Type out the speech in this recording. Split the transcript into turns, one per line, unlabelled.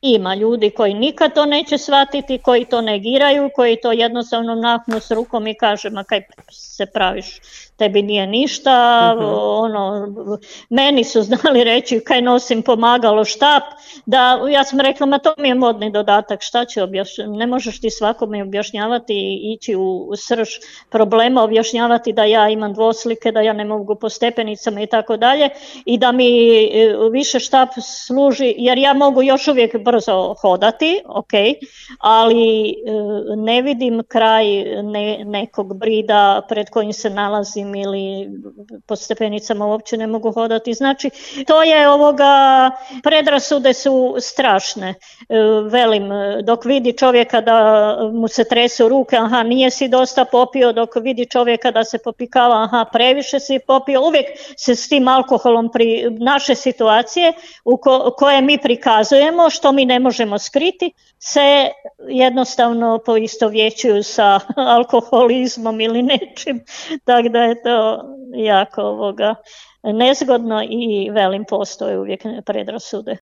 Ima ljudi koji nikad to neće shvatiti, koji to negiraju, koji to jednostavno mahnu s rukom i kaže ma kaj se praviš, tebi nije ništa, meni su znali reći kaj nosim pomagalo, štap, da ja sam rekla ma to mi je modni dodatak, šta će objašnjavati, ne možeš ti svakome objašnjavati i ići u srž problema, objašnjavati da ja imam dvoslike, da ja ne mogu po stepenicama i tako dalje i da mi više štap služi, jer ja mogu još uvijek brzo hodati, ok, ali ne vidim kraj nekog brida pred kojim se nalazim ili po stepenicama uopće ne mogu hodati. Znači, to je predrasude su strašne. Velim, dok vidi čovjeka da mu se tresu ruke, aha, nije si dosta popio, dok vidi čovjeka da se popikava, aha, previše si popio, uvijek se s tim alkoholom naše situacije koje mi prikazujemo, što mi ne možemo skriti, se jednostavno poistovjećuju sa alkoholizmom ili nečim, tako da je to jako nezgodno i velim, postoje uvijek predrasude.